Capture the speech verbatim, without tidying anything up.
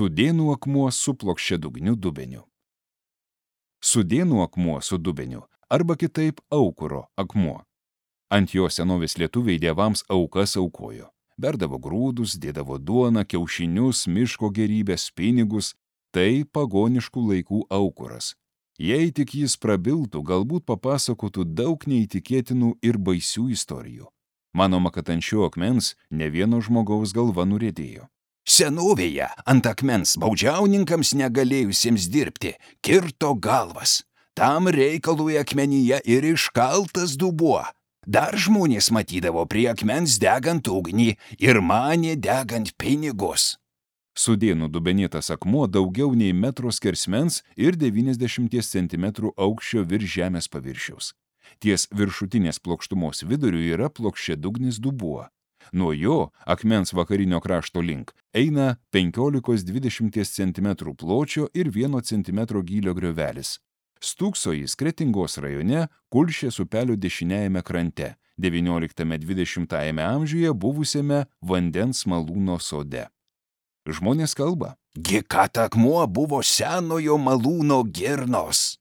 Sudėnų akmuo su plokščiadugniu dubeniu. Sudėnų akmuo su dubeniu arba kitaip aukuro akmuo. Ant jo senovės lietuviai dievams aukas aukojo. Berdavo grūdus, dėdavo duoną, kiaušinius, miško gerybės, pinigus. Tai pagoniškų laikų aukuras. Jei tik jis prabiltų, galbūt papasakotų daug neįtikėtinų ir baisių istorijų. Manoma, kad ant šio akmens ne vieno žmogaus galva nuriedėjo. Senovėje ant akmens baudžiauninkams negalėjusiems dirbti kirto galvas. Tam reikalui akmenyje ir iškaltas dubuo. Dar žmonės matydavo prie akmens degant ugnį ir manė degant pinigus. Sudėnų dubenėtas akmuo daugiau nei metro skersmens ir devyniasdešimties centimetrų aukščio virš žemės paviršiaus. Ties viršutinės plokštumos viduriu yra plokščiadugnis dubuo. Nuo jo akmens vakarinio krašto link eina penkiolikos dvidešimties centimetrų pločio ir vieno centimetro gylio griovelis. Stūkso jis Kretingos rajone Kulšės upelio dešiniajame krante, devynioliktame dvidešimtajame amžiuje buvusiame vandens malūno sode. Žmonės kalba. Gi kad akmuo buvo senojo malūno girnos.